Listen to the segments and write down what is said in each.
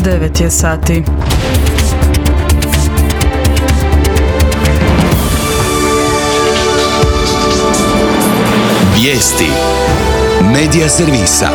9 je sati. Vijesti Medija servisa.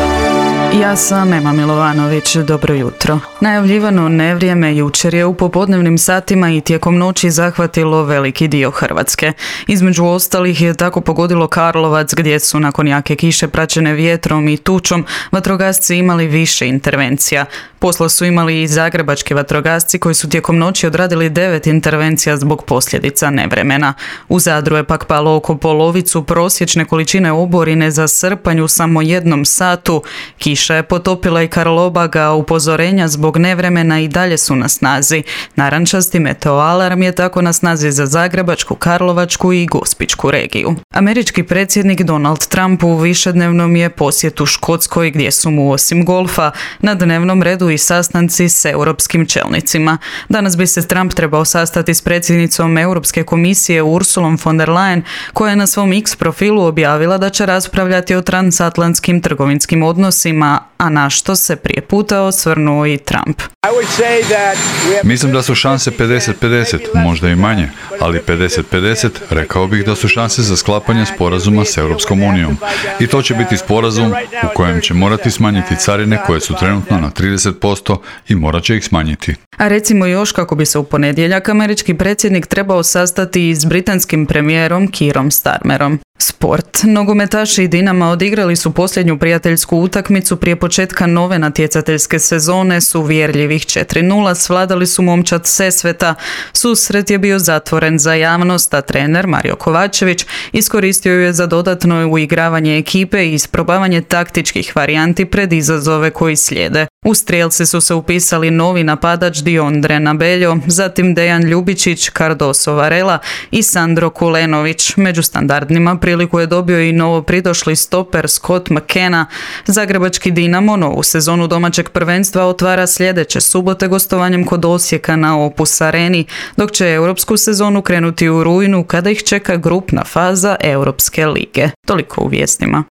Ja sam Ema Milovanović, dobro jutro. Najavljivano nevrijeme jučer je u popodnevnim satima i tijekom noći zahvatilo veliki dio Hrvatske. Između ostalih je tako pogodilo Karlovac, gdje su nakon jake kiše praćene vjetrom i tučom vatrogasci imali više intervencija. Posla su imali i zagrebački vatrogasci koji su tijekom noći odradili 9 intervencija zbog posljedica nevremena. U Zadru je pak palo oko polovicu prosječne količine oborine za srpanj u samo jednom satu. Kiša je potopila i Karlobaga, a upozorenja zbog nevremena i dalje su na snazi. Narančasti meteoalarm je tako na snazi za Zagrebačku, Karlovačku i Gospićku regiju. Američki predsjednik Donald Trump u višednevnom je posjetu Škotskoj, gdje su mu osim golfa na dnevnom redu i sastanci s europskim čelnicima. Danas bi se Trump trebao sastati s predsjednicom Europske komisije Ursulom von der Leyen, koja je na svom X profilu objavila da će raspravljati o transatlantskim trgovinskim odnosima, a na što se prije puta osvrnuo i Trump. Mislim da su šanse 50-50, možda i manje, ali 50-50 rekao bih da su šanse za sklapanje sporazuma s Europskom unijom. I to će biti sporazum u kojem će morati smanjiti carine koje su trenutno na 30% i morat će ih smanjiti. A recimo još kako bi se u ponedjeljak američki predsjednik trebao sastati s britanskim premijerom Keerom Starmerom. Sport. Nogometaši Dinama odigrali su posljednju prijateljsku utakmicu prije početka nove natjecateljske sezone s uvjerljivih 4:0, svladali su momčad Sesveta. Susret je bio zatvoren za javnost, a trener Mario Kovačević iskoristio je za dodatno uigravanje ekipe i isprobavanje taktičkih varijanti pred izazove koji slijede. U strijelce su se upisali novi napadač Diondre Nabeljo, zatim Dejan Ljubičić, Cardoso Varela i Sandro Kulenović. Među standardnima priliku je dobio i novo pridošli stoper Scott McKenna. Zagrebački Dinamo novu sezonu domaćeg prvenstva otvara sljedeće subote gostovanjem kod Osijeka na Opus Areni, dok će europsku sezonu krenuti u rujnu kada ih čeka grupna faza Europske lige. Toliko u vijestima.